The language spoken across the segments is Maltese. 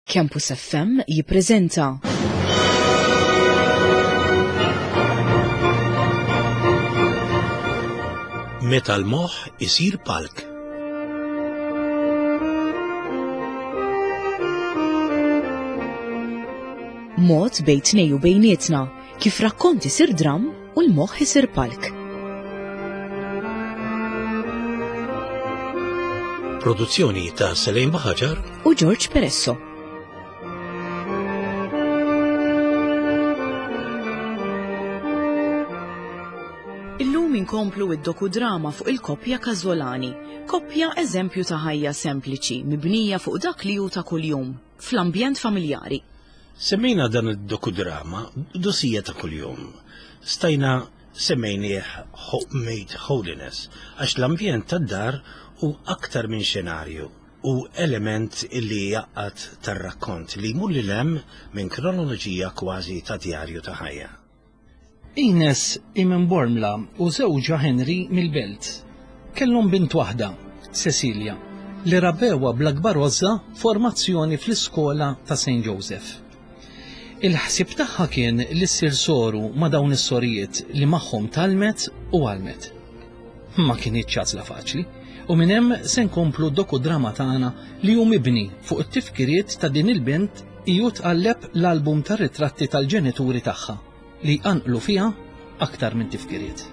Campus FM jippreżenta. Meta l-moħħ isir palk. Mod bejn tnej u bejnietna kif rakkont isir dramm u l-moħħ isir palk. Produzzjoni ta' Selejn Baħaġar u George Peresso. Illum inkomplu id-dokudrama fuq il-koppja Casolani, koppja eżempju ta' ħajja sempliċi mibnija fuq dak li hu ta' kuljum, fl-ambjent familjari. Semmejna dan id-dokudrama Dosija ta' kuljum. Stajna semmejnieh Homemade Holiness għax l-ambjent tad-dar hu aktar minn xenarju, hu element li jgħaqqad tar-rakkont li jmur lil hemm minn kronoloġija kważi ta' djarju ta' ħajja. Ines hi minn Bormla u żewġha Henry mill-Belt. Kellhom bint waħda, Cecilia, li rabbewha bl-akbar għożża formazzjoni fl-iskola ta' St. Joseph. Il-ħsieb tagħha kien li ssir soru ma' dawn is-sorijiet li magħhom tgħallmet u għallmet. Ma kinitx għażla faċli u minn hemm se nkomplu d-dokudrama tagħna li hu mibni fuq it-tifkiriet ta' din il-bint hi u tqalleb l-album tar-ritratti tal-ġenituri tagħha li jqanqlu fiha aktar minn tifkiriet.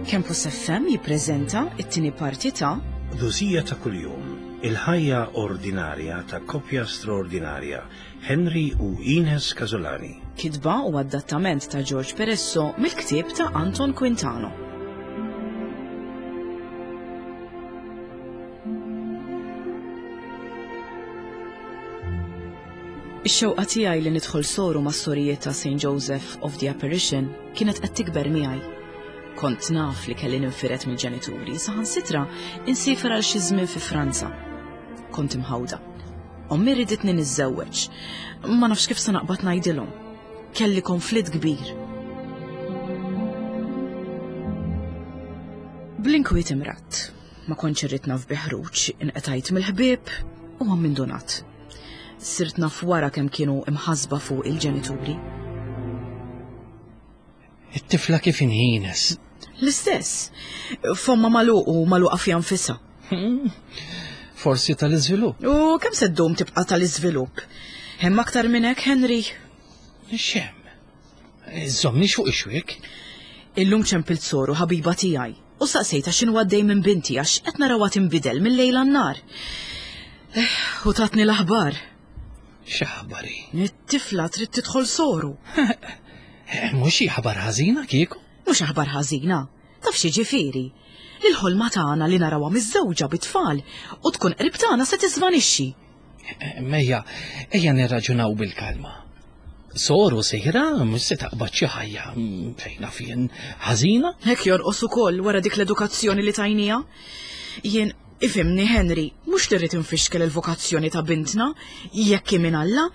Campus FM jippreżenta t-tieni parti ta' Dosija ta' kuljum, il-ħajja ordinarja ta' koppja straordinarja, Henry u Ines Casolani. Kitba u adattament ta' George Peresso mill-ktieb ta' Anton Quintano. Ix-xewqa tiegħi li nidħol soru mas-sorijiet ta' St. Joseph of the Apparition kienet qed tikber miegħi. Kont naf li kelli ninfired mill-ġenituri, saħansitra insiefer għal xi żmien fi Franza. Kont imħawda. Ommi riditni niżżewweġ. Ma nafx kif se naqbad ngħidilhom. Kelli konflitt kbir. Bl-inkwiet imratt. Ma kontx irrid naf bi ħruġ, inqetajt mill-ħbieb u ammindunat. Sirt naf wara kemm kienu imħasba fuq il-ġenituri. It-tifla kif inhi Ines? L-istess. Fomma magħluq u magħluqa fiha nfisha. Hmm. Forsi tal-iżvilupp. U kemm se ddum tibqa' tal-iżvilupp? Hemm aktar minn hekk, Henry? X'hemm? Żommni fuq ix-xwiek. Illum ċempilt soru ħabiba tiegħi u saqsejtha x'inhu għaddej minn binti għax qed narawha tinbidel mill-lejl għan-nhar. Eh, u tatni l-aħbar. X'aħbar hi? It-tifla trid tidħol soru. Eh, mhux xi aħbar ħażina kieku? Mhux aħbar ħażina. Taf xi ġifieri? Li l-ħolma tagħna li narawha miżżewġa bit-tfal u tkun qrib tagħna se tiżvanixxi. Mejja, ejja nirraġunaw bil-kalma. Soru sejra mhux se taqbad xi ħajja mm, fejn naf jien ħażina. Hekk jorqos ukoll wara dik l-edukazzjoni li tajnija. Jien ifimni Henry, mhux li rrid infixkel il-vokazzjoni ta' bintna, jekk hi minn Alla,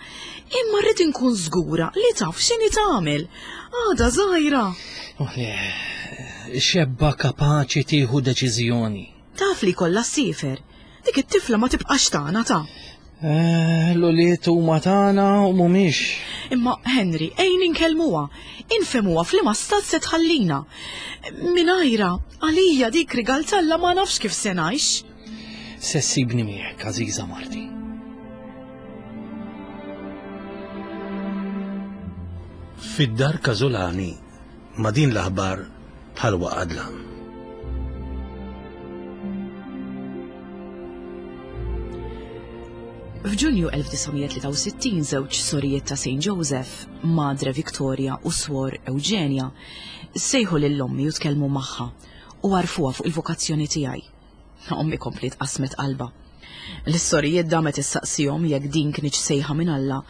imma rrid inkun żgura li taf x'inhi tagħmel. Għada żgħira. Oh, le, xebba kapaċi tieħu deċiżjoni. Taf li kollha ssiefer. Dik it-tifla ma tibqax tagħna ta'. Eh, l-ulied huma tagħna u mhumiex. Imma Henry, ejn inkellmuha, infemuha f'liema stat se tħallina. Mingħajra, għalija dik rigal talla ma nafx kif se ngħix. Se ssibni miegħek, għażiża Marti. Fid-dar Każolani Ma' din l-aħbar bħal waqa' dlam. F'Ġunju 1963 żewġ sorijiet ta' St. Joseph, Madre Victoria u Swor Eugenia, sejħu lil ommi u tkellmu magħha u għarfuha fuq il-vokazzjoni tiegħi. Ommi kompliet qasmet qalbha. Lis-sorijiet damet issaqsihom jekk din kinitx sejħa minn Alla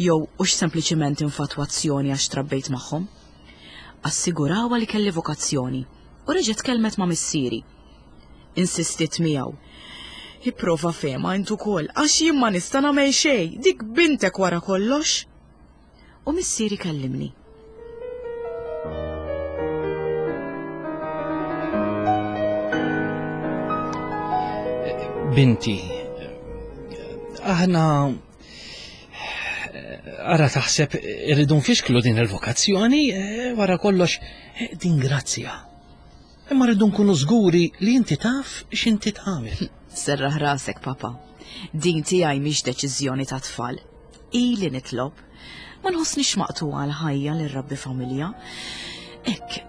jew hux sempliċiment infatwazzjoni għax trabbejt magħhom. Assigurawha li kelli vokazzjoni u reġgħet tkellmet ma' missieri. Insistiet miegħu. Ipprova fehmha int ukoll għax jien ma nista' nagħmel xejn, dik bintek wara kollox. U missieri kellimni. Binti, aħna ara taħseb irridu nfixklu din il-vokazzjoni, eh, wara kollox eh, din grazzja. Imma rridu nkunu żguri li inti taf x'inti tagħmel. Serraħ rasek, papa. Din tiegħi mhix deċiżjoni ta' tfal. Ili nitlob. Ma nħossnix maqtugħa l-ħajja li rrabbi familja. Hekk,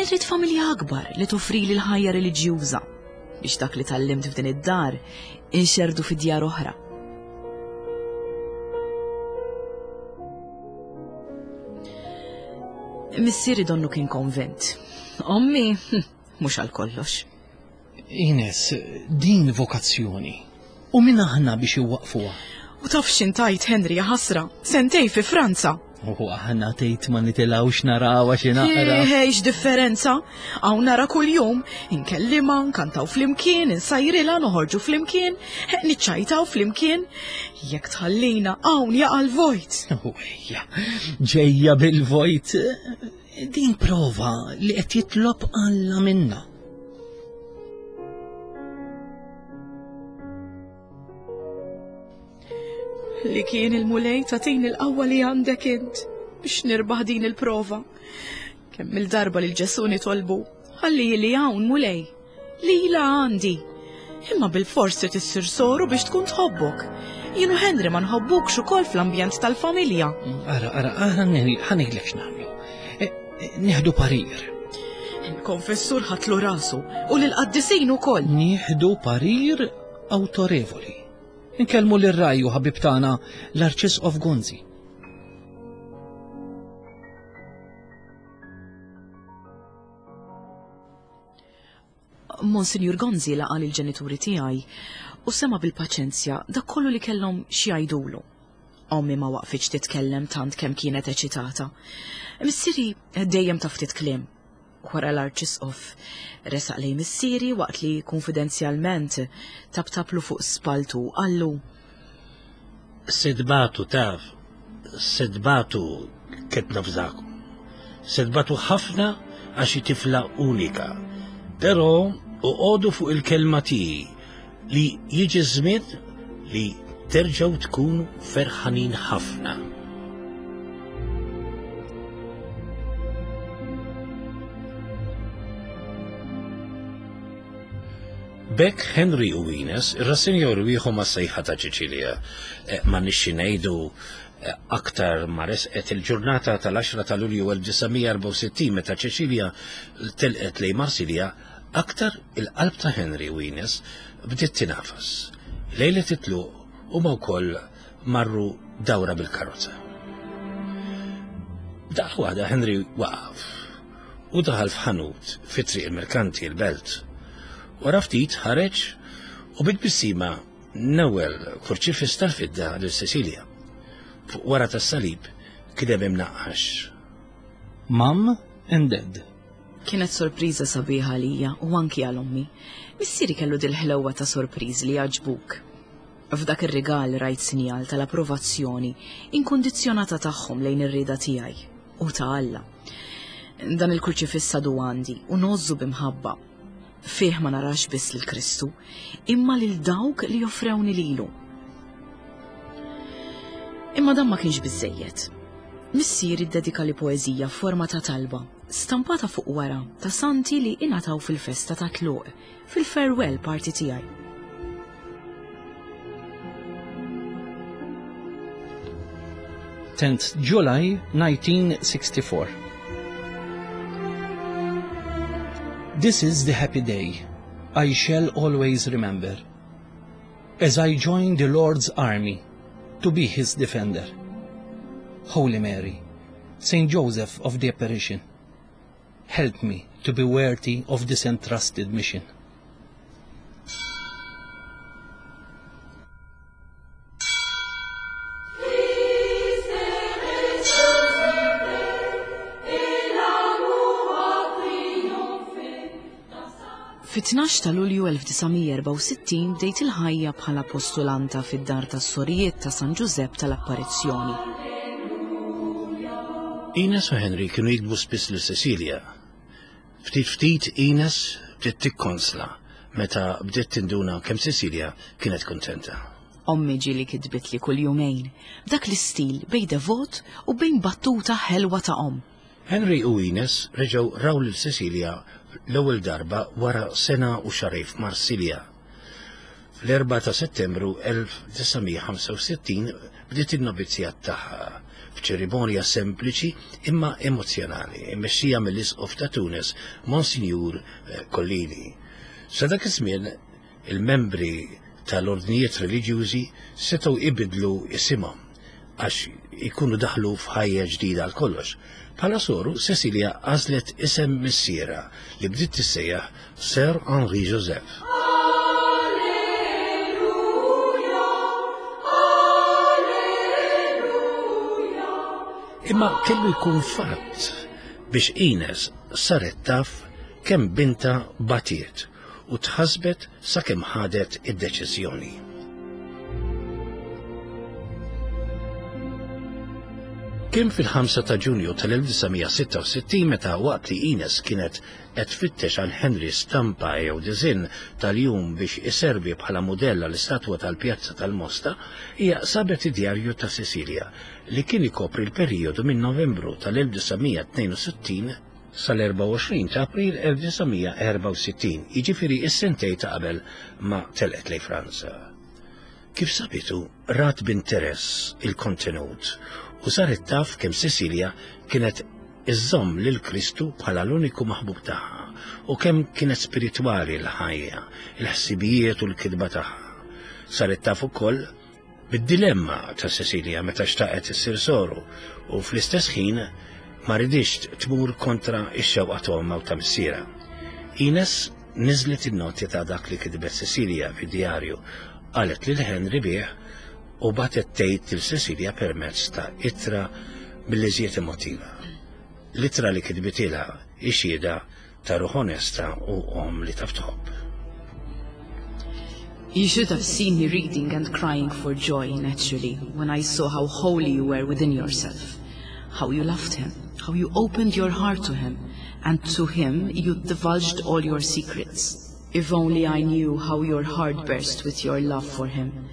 irrid familja akbar li toffrili l-ħajja reliġjuża biex dak li tgħallimt f'din id-dar inxerdu fi djar oħra. Missieri donnu kien konvint. Ommi, mhux għal kollox. Ines, din vokazzjoni. U min aħna biex iwaqfuha? U taf x'intajt Henry ħasra, sentej fi Franza. U aħna tgħid ma nitilgħux narawha xi naqra. Ej, x'differenza. Hawn nara kuljum, inkellima, nkantaw flimkien, insajrilha, noħorġu flimkien, niċċajtaw flimkien. Jekk tħallina hawn jaqa' l-vojt. U ejja, ġejja bil-vojt. Din prova li qed jitlob Alla minna. Li kien il-Mulej tagħtini l-qawwa li għandek int biex nirbaħ din il-prova. Kemm il-darba lil Ġesù nitolbu, ħalli li hawn Mulej. Lila għandi. Imma bilfors trid issir soru biex tkun tħobbok. Jien u Henry ma nħobbukx ukoll fl-ambjent tal-familja. Ara, ara, ara, ħanejlek x'nagħmlu. E, e, nieħdu parir. Il-konfessur ħatlu rasu u lill-qaddisin ukoll. Nieħdu parir awtorevoli. Inkellmu lir-raj u ħabib tagħna l-Arċisqof Gonzi. Monsinjur Gonzi laqa' lill-ġenituri tiegħi u sema' bil-paċenzja dak kollu li kellhom xi jgħidulu. Ommi ma waqfitx titkellem tant kemm kienet eċitata. Missieri dejjem ta' ftit kliem. Wara l-Arċisqof resaq lejn missieri waqt li kunfidenzjalment taptaplu fuq spalltu u qallu. Se tbatu taf, se tbatu qed nafżakom. Se tbatu ħafna għax hi tifla unika. Però oqogħdu fuq il-kelma tiegħi li jiġi żmien li terġgħu tkunu ferħanin ħafna. B'hekk Henry u Ines irrassenjaw rwieħhom għas-sejħa ta' Ċiċilja. Eh, m'għandniex xi ngħidu eh, aktar ma resqet il-ġurnata tal-10 ta' Lulju 1964 meta Ċiċilja telqet lejn Marsilja, aktar il-qalb ta' Henry u Ines bdiet tinafas. Lejlet it-tluq huma wkoll marru dawra bil-karozza. Daqqa waħda Henry waqaf u daħal f'ħanut fi Triq il-Merkanti, il-Belt. Wara ftit ħareġ u bi tbissima newwel kurċifiss tal-fidda lil Cecilia. Fuq wara tas-salib kien hemm imnaqqax. Mum and Dad. Kienet sorpriża sabiħa għalija u anki għal ommi. Missieri kellu dil-ħlewwa ta' sorpriżi li jgħaġġbuk. F'dak ir-rigal rajt sinjal tal-approvazzjoni inkundizzjonata tagħhom lejn ir-rieda tiegħi u ta' Alla. Dan il-kurċifiss għadu għandi u ngħożżu b'imħabba. Fih ma narax biss lil Kristu, imma lil dawk li offrewni lilu. Imma dan ma kienx biżejjed. Missieri ddedika li poeżija f'forma ta' talba, stampata fuq wara ta' santi li ingħataw fil-festa ta' tluq fil-farewell party tiegħi. Tenth July 1964. This is the happy day I shall always remember as I join the Lord's army to be his defender. Holy Mary, Saint Joseph of the Apparition, help me to be worthy of this entrusted mission. Fit-12 ta' Lulju 1964 bdejt il-ħajja bħala postulanta fid-dar tas-sorijiet ta' San Ġużepp tal-Apparizzjoni. Ines u Henry kienu jiktbu spiss lil Cecilia. Ftit ftit Ines bdiet tikkonsla. meta bdiet tinduna kemm Cecilia kienet kuntenta. Ommi ġieli kitbitli kull jumejn, b'dak l-istil bejn devot u bejn battuta ħelwa ta' omm. Henry u Ines reġgħu raw lil Cecilia l-ewwel darba wara sena u xahrejn f'Marsilja. Fl-4 ta' Settembru 1965 bdiet in-novizzjat tagħha f'ċerimonja sempliċi imma emozzjonali, immexxija mill-Isqof ta' Tunis, Monsinjur eh, Collini. Sa dak iż-żmien il-membri tal-ordnijiet reliġjużi setgħu jbiddlu isimhom għax ikunu daħlu f'ħajja ġdida għal kollox. Bħala soru, Cecilia għażlet isem missierha li bdiet tissejjaħ Sir Henri Joseph. Imma kellu jkun fatt biex Ines saret taf kemm binta batiet u tħassbet sakemm ħadet id-deċiżjoni. Kien fil-5 ta' Ġunju tal-1966 meta waqt li Ines kienet qed tfittex għal Henry stampa jew diżinn tal-jum biex iservi bħala mudell għall-istatwa tal-Pjazza tal-Mosta, hija sabet id-djarju ta' Cecilia li kien ikopri l-perijodu minn Novembru tal-1962 sal-24 ta' April 1964, jiġifieri s-sentejn ta' qabel ma telqet lejn Franza. Kif sabitu, rat b'interess il-kontenut u saret taf kemm Cecilia kienet iżżomm lil Kristu bħala l-uniku maħbub tagħha u kemm kienet spiritwali l-ħajja, il-ħsibijiet u l-kitba tagħha. Saret taf ukoll Bid-dilemma ta' Cecilia meta xtaqet issir soru u fl-istess ħin ma riditx tmur kontra x-xewqa ta' ommha u ta' missierha. Ines niżlet in-noti ta' dak li kitbet Cecilia fid-djarju, qalet lil Henry bih u bagħtet tgħid lil Cecilia permezz ta' ittra mill-iżjed emotiva. L-ittra li kitbitilha hi xhieda ta' ruħ onesta u omm li taf tħobb. You should have seen me reading and crying for joy, naturally, when I saw how holy you were within yourself, how you loved him, how you opened your heart to him, and to him you divulged all your secrets. If only I knew how your heart burst with your love for him.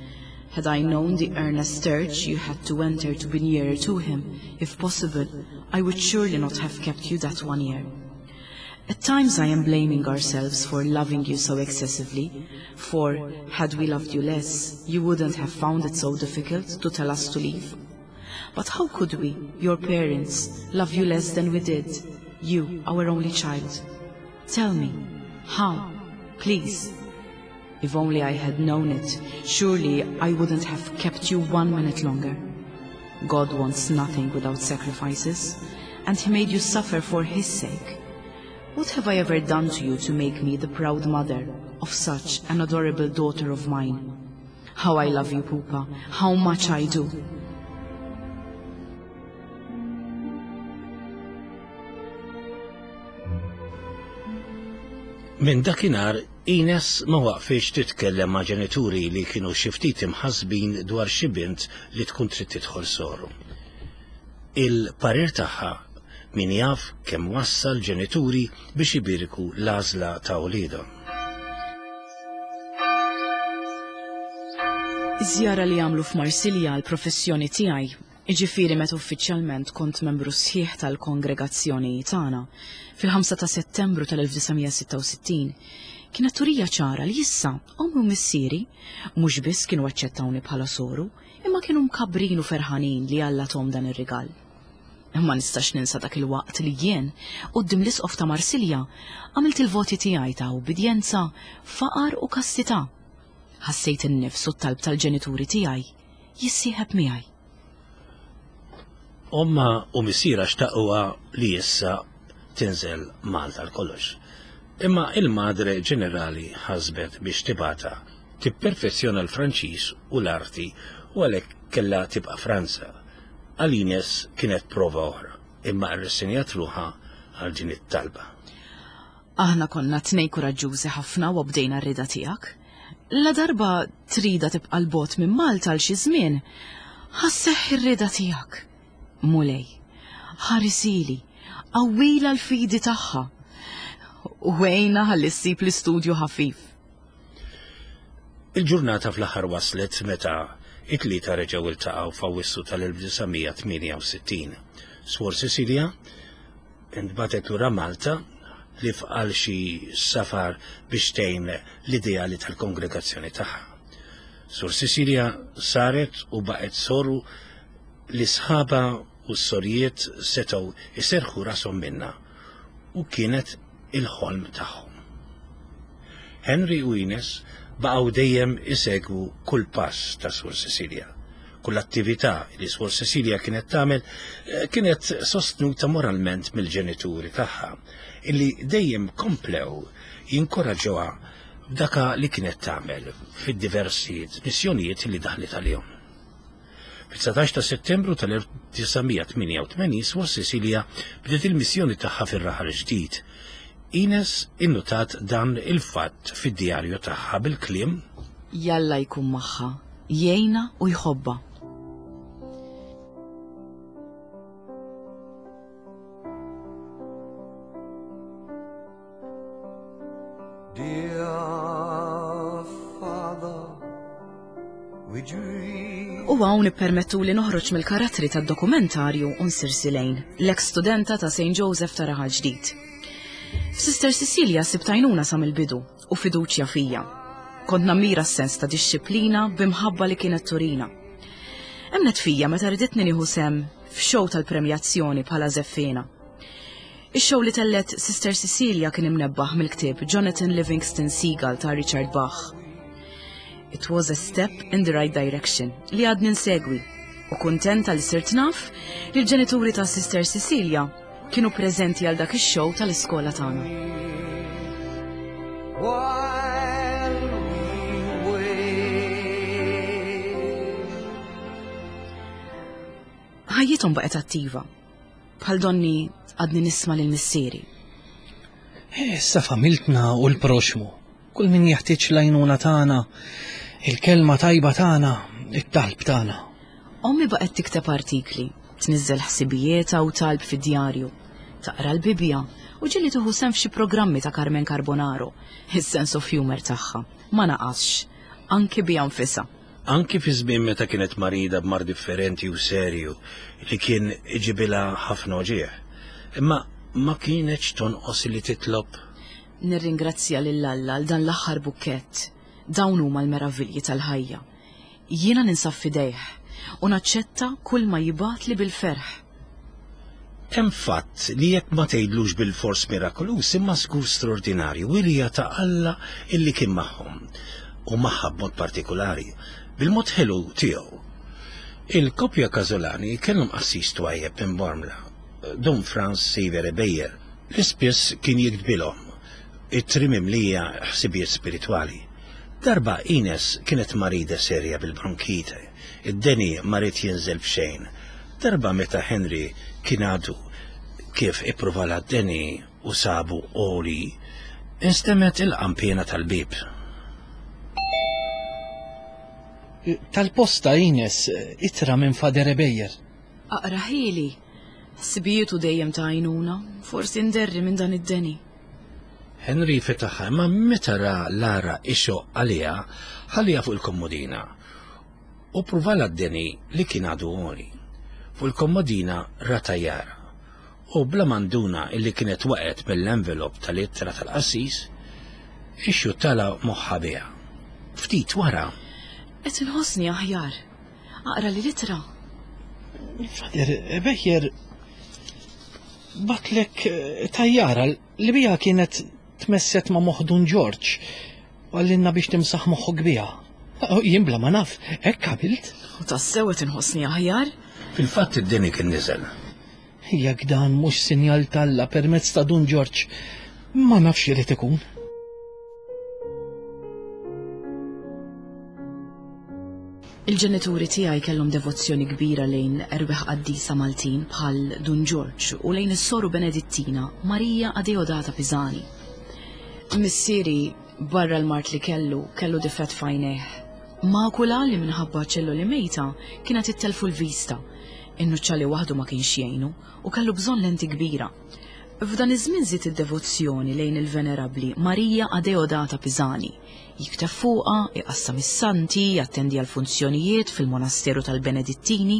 Had I known the earnest search you had to enter to be nearer to him, if possible, I would surely not have kept you that one year. At times I am blaming ourselves for loving you so excessively, for had we loved you less, you wouldn't have found it so difficult to tell us to leave. But how could we, your parents, love you less than we did, you, our only child? Tell me, how, please? If only I had known it, surely I wouldn't have kept you one minute longer. God wants nothing without sacrifices, and he made you suffer for his sake. What have I ever done to you to make me the proud mother of such an adorable daughter of mine? How I love you, Pupa, how much I do. Minn dakinhar Ines ma waqfitx titkellem ma' ġenituri li kienu xi ftit imħassbin dwar xi bint li tkun trid tidħol soru. Il-parir tagħha min jaf kemm wassal ġenituri biex ibierku l-għażla ta' uliedhom. Iż-żjara li għamlu f'Marsilja għall-professjoni tiegħi, jiġifieri meta uffiċjalment kont membru sħiħ tal-kongregazzjoni tagħna, fil-5 ta' Settembru tal-1966, kienet turija ċara li issa ommi u missieri mhux biss kienu aċċettawni bħala soru, imma kienu mkabbrin u ferħanin li Alla thom dan ir-rigal. Ma nistax ninsa dak il-waqt li jien, quddiem l-Isqof ta' Marsilja, għamilt il-voti tiegħi ta' ubbidjenza, faqar u kastità. Ħassejt in-nifs u t-talb tal-ġenituri tiegħi jissieħeb miegħi. Ommha u missierha xtaquha li issa tinżel Malta għal kollox. Imma il-Madre Ġenerali ħasbet biex tibgħatha tipperfezzjona l-Franċiż u l-arti u għalhekk kellha tibqa' Franza. Għal Ines kienet prova oħra, imma rrissenjat ruħha għal din it-talba. Aħna konna tnejn kuraġġużi ħafna u obdejna r-rieda tiegħek. Ladarba tridha tibqa' 'l bogħod minn Malta għal xi żmien, ħa sseħħ ir-rieda tiegħek. Mulej, ħarisili, qawwilha l-fidi tagħha u għinha ħalli ssib l-istudju ħafif. Il-ġurnata fl-aħħar waslet meta it-tlieta reġgħu iltaqgħu f'Awwissu tal-1968. Swor Cecilia intbagħtet lura Malta ħlief għal xi safar biex tgħin l-ideali tal-kongregazzjoni tagħha. Sur Cecilia saret u baqgħet soru li sħaba u s-sorijiet setgħu iserħu rashom minnha u kienet il-ħolm tagħhom. Henry u Ines baqgħu dejjem isegwu kull pass ta' Sur Cecilia. Kull attività li Suor Cecilia kienet tagħmel eh, kienet sostnuta moralment mill-ġenituri tagħha, illi dejjem komplew jinkoraġġuha f'daka li kienet tagħmel fid-diversi missjonijiet li daħlet għalihom. Fit-19 ta' Settembru tal-1988 Suor Cecilia bdiet il-missjoni tagħha fir-Raħal Ġdid. Ines innutat dan il-fatt fid-djarju tagħha bil-kliem Jalla jkun magħha, jgħinha u jħobbha. Dear Father, we dream. U hawn ippermettu li noħroġ mill-karattri tad-dokumentarju u nsir Silejn, l-eks studenta ta' St. Joseph ta' Raħal Ġdid. F'Sister Cecilia sibt għajnuna sa mill-bidu u fiduċja fija. Kont nammira s-sens ta' dixxiplina b'imħabba li kienet turina. Emnet fija meta riditni nieħu sem f'xow tal-premjazzjoni bħala żeffiena. Ix-show li tellet Sister Cecilia kien imnebbaħ mill-ktieb Jonathan Livingston Seagull ta' Richard Bach. It was a step in the right direction li għadni nsegwi u kuntenta li sirt naf li l-ġenituri ta' Sister Cecilia kienu preżenti għal dak ix-show tal-iskola tagħna. While we wait. Ħajjithom baqgħet attiva. Bħal donni għadni nisma' lil missieri. Issa familtna u l-proxmu, kull min jeħtieġ l-għajnuna tagħna, il-kelma tajba tagħna, it-talb tagħna. Ommi baqgħet tikteb artikli, tniżżel ħsibijietha u talb fid-djarju, taqra l-Bibbja u ġieli tieħu sehem f'xi programmi ta' Carmen Carbonaro. Is-sense of humor tagħha ma naqasx, anki biha nfisha. Anki fi żmien meta kienet marida b'mard differenti u serju li kien iġibilha ħafna uġigħ. Imma ma kienetx tonqos li titlob. Nirringrazzja lil Alla għal dan l-aħħar bukkett. Dawn huma l-meravilji tal-ħajja. Jiena ninsab f'idejh u naċċetta kull ma jibgħatli bil-ferħ. Hemm fatt li jekk ma tgħidlux bilfors mirakoluż imma żgur straordinarju, wirja ta' Alla illi kien magħhom, u magħha b'mod partikulari, bil-mod ħelu tiegħu. Il-koppja Casolani kellhom qassis twajjeb minn Bormla, Dun Frans Xavier Ebejer, li spiss kien jiktbilhom ittri mimlija ħsibijiet spiritwali. Darba Ines kienet marida serja bil-bronkite. Id-deni ma ried jinżel b'xejn. Darba meta Henry kien għadu kif ippruvalha d-deni u sabu għoli, instemgħet il-qanpiena tal-bieb. Tal-posta Ines, ittra minn Fader Ebejer. Aqrahieli. Ħsibijietu dejjem ta' għajnuna, forsi nderri minn dan id-deni. Henry fetaħha imma meta ra Lara ixoqq għaliha, ħalliha fuq il-kommodina u ppruvalha d-deni li kien għadu għoli. Fuq il-kommodina ra tajjara u bla ma nduna illi kienet waqgħet mill-envelop tal-ittra tal-qassis, ixxuttalha moħħha biha. Ftit wara. Qed inħossni aħjar. Aqrali l-ittra. Fader Becher batlek eh, tajjara li bija kienet tmesset ma' moħħ Dun Ġorġ u għallinna biex timsaħ moħħok biha. Jien bla ma naf, hekk għamilt. U tassew qed inħossni aħjar? Fil-fatt id-deni kien niżel. Jekk dan mhux sinjal t'Alla permezz ta' Dun Ġorġ, ma nafx irid ikun. Il-ġenituri tiegħi kellhom devozzjoni kbira lejn erwieħ qaddisa Maltin bħal Dun Ġorġ u lejn is-soru Benedittina Marija Adeodata Pisani. Missieri, barra l-mard li kellu, kellu difett f'għajnejh. Makula li minħabba ċelloli mejta kienet ittellfu l-vista. In-nuċċali waħdu ma kienx jgħinu u kellu bżonn lenti kbira. F'dan iż-żmien żied id-devozzjoni lejn il-Venerabbli Marija Adeodata Pisani. Jikteb fuqha, iqassam is-santi, jattendi għall-funzjonijiet fil-monasteru tal-Benedittini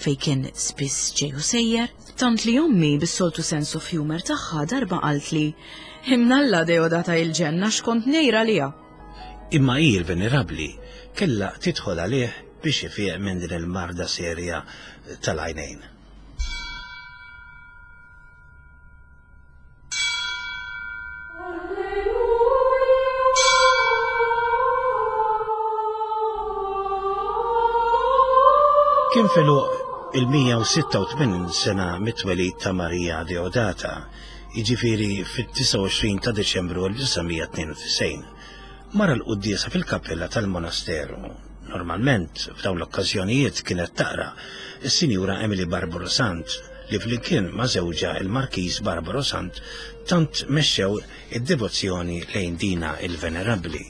fejn kien spiss ġej u sejjer, tant li ommi bis-soltu sense of humour tagħha darba qaltli, Imnalla Adeodata il-ġenna x'kont ngħir għaliha! Imma hi l-Venerabbli kellha tidħol għalih biex ifiq minn din il-marda serja tal-għajnejn. Kien f'għeluq il-186 sena mit-twelid ta' Maria Deodata, jiġifieri fit-29 ta' Diċembru 1992. Mar għall-quddiesa fil-kappella tal-monasteru. Normalment, f'dawn l-okkażjonijiet kienet taqra s-Sinjura Emily Barbaro Sant li flimkien ma' żewġha il-Markiż Barbaro Sant tant mexxew id-devozzjoni lejn dina il-Venerabbli.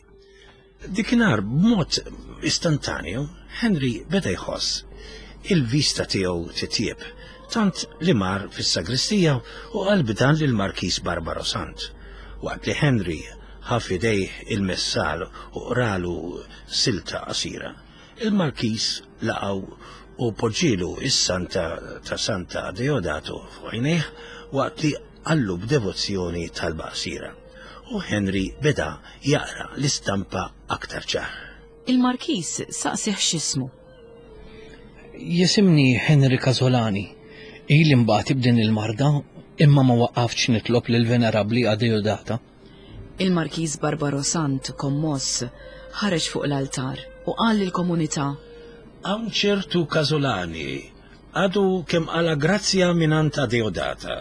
Dikinhar b'mod istantanju Henry beda jħoss il-vista tiegħu titjieb, tant li mar fis-sagristija u qal b'dan lill-Markiż Barbaro Sant. Waqt li Henry ħa f'idejh il-messal u qralu silta qasira, il-Markiż laqgħu u poġġielu s-santa ta' Santa Deodato fuq għajnejh waqt li qallu b'devozzjoni talba qasira. U Henry beda jaqra l-istampa aktar ċar. Il-Markiż saqsieh x'ismu. Jisimni Henry Casolani. Ili nbati b'din il-marda, imma ma waqaftx nitlob lill-Venerabbli Adeodata. Il-Markiż Barbaro Sant, kommoss, ħareġ fuq l-altar u qal lill-komunità. Hawn ċertu Casolani għadu kemm qala' grazzja mingħand Adeodata.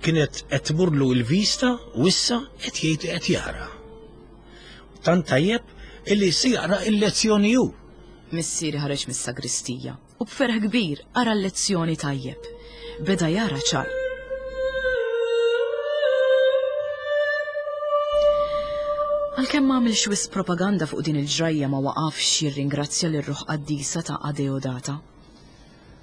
Kienet qed tmurlu l-vista u issa qed jgħid li qed jara. Tant tajjeb illi se jaqra l-lezzjoni hu. Missieri ħareġ mis-sagristija u b'ferħ kbir qara l-lezzjoni tajjeb. Beda jara ċar. Għalkemm ma għamilx wisq propaganda fuq din il-ġrajja ma waqafx jirringrazzja lir-ruħ qaddisa ta' Adeodata.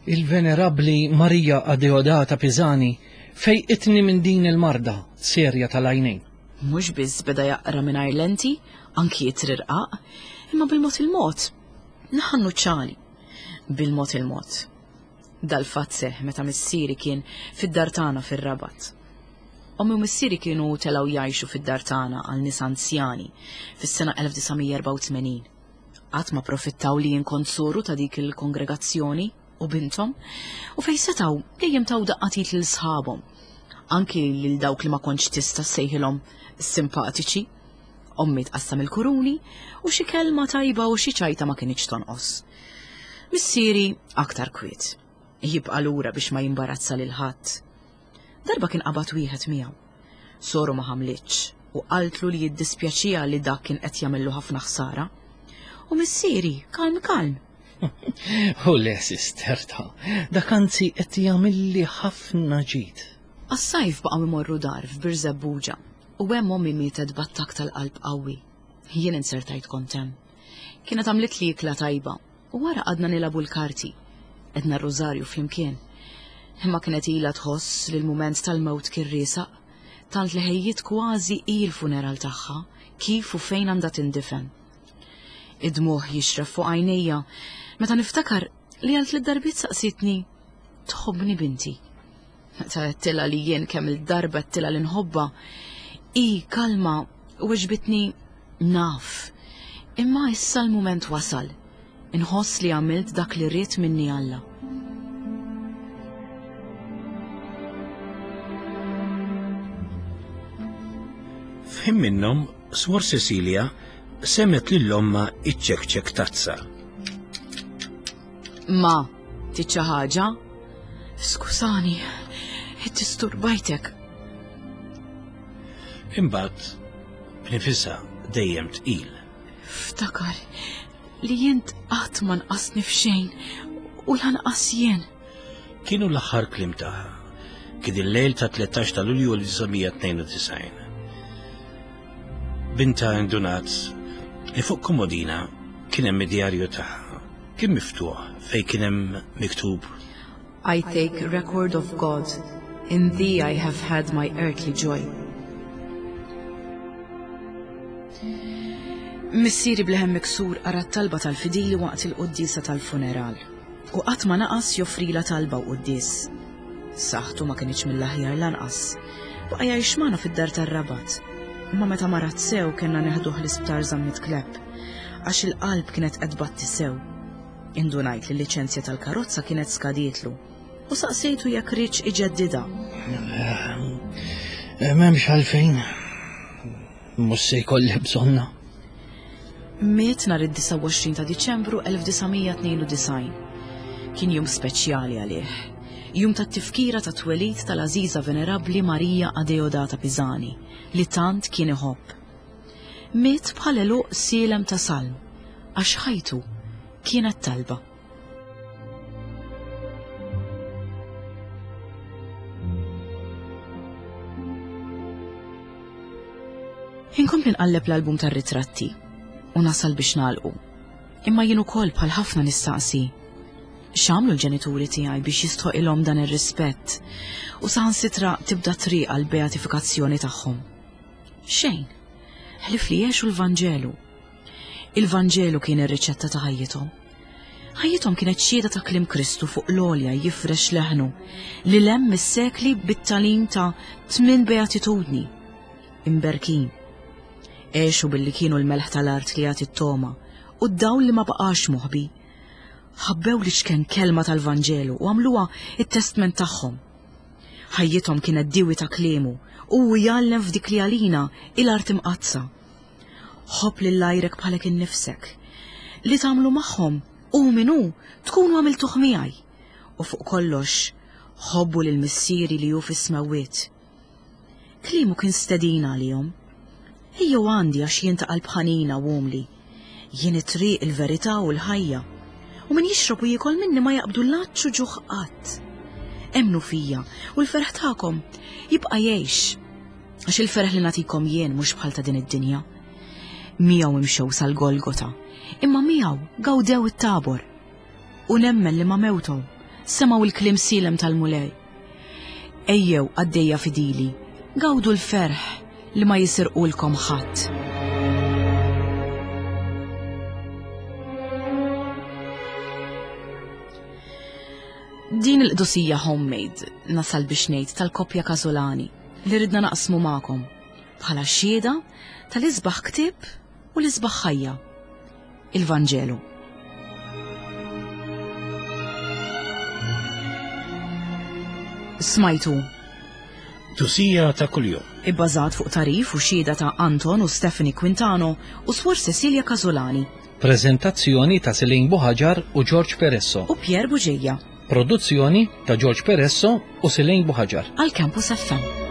Il-Venerabbli Marija Adeodata Pisani fejqitni minn din il-marda serja tal-għajnejn. Mhux biss beda jaqra mingħajr lenti, anki ittri rqaq, imma bil-mod il-mod naħa n-nuċċali. Bil-mod il-mod. Dal-fatt seħħ meta missieri kien fid-dar tagħna fir-Rabat. Ommi u missieri kienu telgħu jgħixu fid-dar tagħna għal nies anzjani fis-sena 1984. Qatt ma profittaw li jien kont soru ta' dik il-kongregazzjoni u binthom, u fejn setgħu dejjem taw daqqa t'id lil sħabhom, anki lil dawk li ma kontx tista' ssejħilhom simpatiċi. Ommi tqassam il-kuruni u xi kelma tajba u xi ċajta ma kinitx tonqos. Missieri aktar kwiet. Jibqa' lura biex ma jimbarazza lil ħadd. Darba kien qabad wieħed miegħu. Soru ma ħamlitx u qaltlu li jiddispjaċiha li dak kien qed jagħmillu ħafna ħsara. U missieri, kalm kalm. U le, sister ta, dak anzi qed jagħmilli ħafna ġid. Għas-sajf baqgħu imorru dar f'Birżebbuġa u hemm ommi mietet b'attakk tal-qalb qawwi. Jien inzertajt kont hemm. Kienet għamlitli ikla tajba u wara qgħadna nilagħbu l-karti. Għedna r-rużarju flimkien. Imma kienet ilha tħoss li l-mument tal-mewt kien riesaq, tant li ħejjiet kważi hi l-funeral tagħha, kif u fejn għandha tindifen. Id-dmugħ jixref fuq għajnejja meta niftakar li għal tliet darbiet saqsietni, Tħobbni binti? Meta għedtilha li jien kemm il-darba għedtilha li nħobbha, hi kalma weġbitni naf. Imma issa l-mument wasal. Inħoss li għamilt dak li ried minni Alla. F'ħin minnhom, Swor Cecilia semgħet lil ommha iċċekċek tazza. Ma, trid xi ħaġa? Skużani, iddisturbajtek. Imbagħad b'nifisha dejjem tqil. Ftakar li jint qatt ma nqasni f'xejn u lanqas jien. Kienu l-aħħar kliem tagħha. Kien il-lejl ta' 13 ta' Lulju 1992. Binta indunat li fuq komodina kien hemm id-djarju tagħha. Kien miftuħ fejn kien hemm miktub I take record of God. In thee I have had my earthly joy. Missieri bleħem miksur qara t-talba tal-fidili waqt il-quddiesa tal-funeral u qatt ma naqas joffrila talba u quddies. Saħħtu ma kinitx mill-aħjar lanqas. Baqa' jgħix magħna fid-dar tar-Rabat. Imma meta marad sew kellna neħduh l-isptar Zammit Klepp għax il-qalb kienet qed tbatti sew. Indunajt li l-liċenzja tal-karozza kienet skadietlu u saqsejtu jekk riedx iġeddidha. Eh, m'hemmx għalfejn. Mhux se jkolli bżonna. Miet nhar id-29 ta' Diċembru 1992. Kien jum speċjali għalih. Jum tat-tifkira ta' twelid tal-għażiża venerabbli Marija Adeodata Pisani, li tant kien iħobb. Miet bħal għeluq sielem ta' salm, għax ħajtu kienet talba. Inkompli nqalleb l-album tar-ritratti u nasal biex nagħlqu. Imma jien ukoll bħal ħafna nistaqsi. X'għamlu l-ġenituri tiegħi biex jistħoqilhom dan ir-rispett u saħansitra tibda triq għal beatifikazzjoni tagħhom? Xejn. Ħlief li għexu l-Vanġelu. Il-Vanġelu kien ir-riċetta ta' ħajjithom. Ħajjithom kienet xhieda ta' kliem Kristu fuq l-għolja jifrex leħnu li lem mis-sekli bit-tagħlim ta' tmin beatitudni. Imberkin. Għexu billi kienu l-melħ tal-art li jagħti t-togħma u d-dawl li ma baqax moħbi. Ħabbew l-iċken kelma tal-Vanġelu u għamluha it-testment tagħhom. Ħajjithom kienet diwi ta' kliemu u hu jgħallem f'dik li għalina hi l-art imqaddsa. Ħobb lil għajrek bħalek innifsek. Li tagħmlu magħhom, hu min hu, tkunu għamiltuh miegħi. U fuq kollox, ħobbu lil Missieri li hu fis-smewwiet. Kliemu kien stedina għalihom. Ejjew għandi għax jien ta' qalb ħanina u umli. Jien it-triq, il-verità u l-ħajja. U min jixrob u jiekol minni ma jaqbdu l-għatx u ġuħ qatt. Emmnu fija u l-ferħ tagħkom jibqa' jgħix. Għax il-ferħ li nagħtikom jien mhux bħal ta' din id-dinja. Miegħu imxew sal-Golgota, imma miegħu gawdew it-Tabor. U nemmen li ma' mewthom semgħu l-kliem sielem tal-Mulej. Ejjew qaddejja fidili, gawdu l-ferħ li ma jisirqulkom ħadd. Din il-qdusija homemade nasal biex ngħid tal-koppja Casolani li ridna naqsmu magħkom bħala xhieda tal-isbaħ ktieb u l-isbaħ ħajja, il-Vanġelu. Smajtu. Qdusija ta' kuljum. Ibbażat fuq tagħrif u xhieda ta' Anton u Stephanie Quintano u Swor Cecilia Casolani. Preżentazzjoni ta' Celine Buhaġar u George Peresso. U Pierre Bugeja. Produzzjoni ta' George Peresso u Celine Buhaġar. Għal Campus FM.